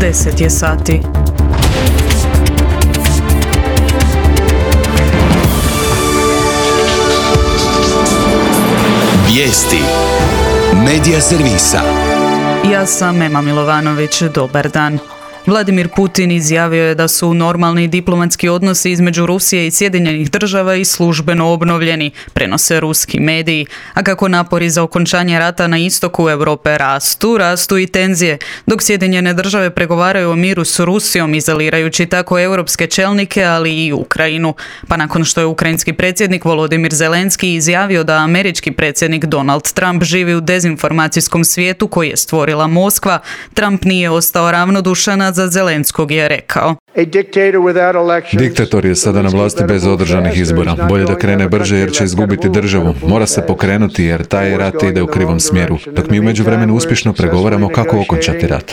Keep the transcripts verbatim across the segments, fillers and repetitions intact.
deset je sati. Vijesti Medija servisa. Ja sam Ema Milovanović, dobar dan. Vladimir Putin izjavio je da su normalni diplomatski odnosi između Rusije i Sjedinjenih država i službeno obnovljeni, prenose ruski mediji. A kako napori za okončanje rata na istoku Europe rastu, rastu i tenzije, dok Sjedinjene države pregovaraju o miru s Rusijom, izolirajući tako europske čelnike, ali i Ukrajinu. Pa nakon što je ukrajinski predsjednik Volodimir Zelenski izjavio da američki predsjednik Donald Trump živi u dezinformacijskom svijetu koji je stvorila Moskva, Trump nije ostao ravnodušan, za Zelenskog je rekao: Diktator je sada na vlasti bez održanih izbora. Bolje da krene brže jer će izgubiti državu. Mora se pokrenuti jer taj rat ide u krivom smjeru. Dok mi u međuvremenu uspješno pregovaramo kako okončati rat.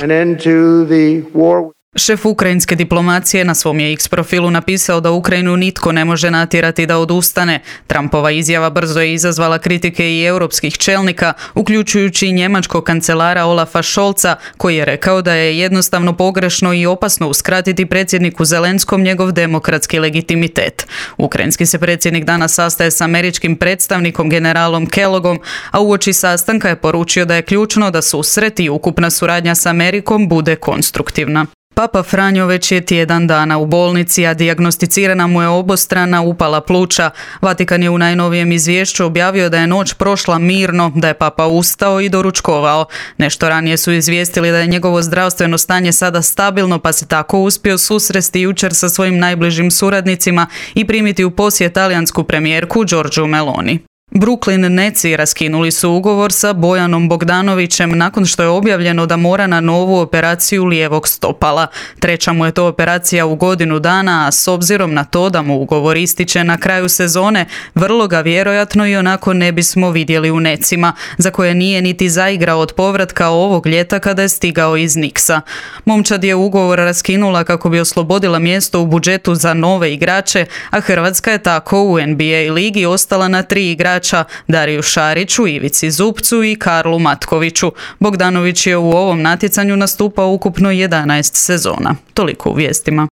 Šef ukrajinske diplomacije na svom je X profilu napisao da Ukrajinu nitko ne može natjerati da odustane. Trumpova izjava brzo je izazvala kritike i europskih čelnika, uključujući i njemačkog kancelara Olafa Scholza, koji je rekao da je jednostavno pogrešno i opasno uskratiti predsjedniku Zelenskom njegov demokratski legitimitet. Ukrajinski se predsjednik danas sastaje s američkim predstavnikom generalom Kellogom, a uoči sastanka je poručio da je ključno da susret i ukupna suradnja s Amerikom bude konstruktivna. Papa Franjo već je tjedan dana u bolnici, a dijagnosticirana mu je obostrana upala pluća. Vatikan je u najnovijem izvješću objavio da je noć prošla mirno, da je papa ustao i doručkovao. Nešto ranije su izvijestili da je njegovo zdravstveno stanje sada stabilno, pa se tako uspio susresti jučer sa svojim najbližim suradnicima i primiti u posjet talijansku premijerku Giorgiu Meloni. Brooklyn Netsi raskinuli su ugovor sa Bojanom Bogdanovićem nakon što je objavljeno da mora na novu operaciju lijevog stopala. Treća mu je to operacija u godinu dana, a s obzirom na to da mu ugovor ističe na kraju sezone, vrlo ga vjerojatno i onako ne bismo vidjeli u Netsima, za koje nije niti zaigrao od povratka ovog ljeta kada je stigao iz Knicksa. Momčad je ugovor raskinula kako bi oslobodila mjesto u budžetu za nove igrače, a Hrvatska je tako u N B A ligi ostala na tri igrača: Dariju Šariću, Ivici Zupcu i Karlu Matkoviću. Bogdanović je u ovom natjecanju nastupao ukupno jedanaest sezona. Toliko u vijestima.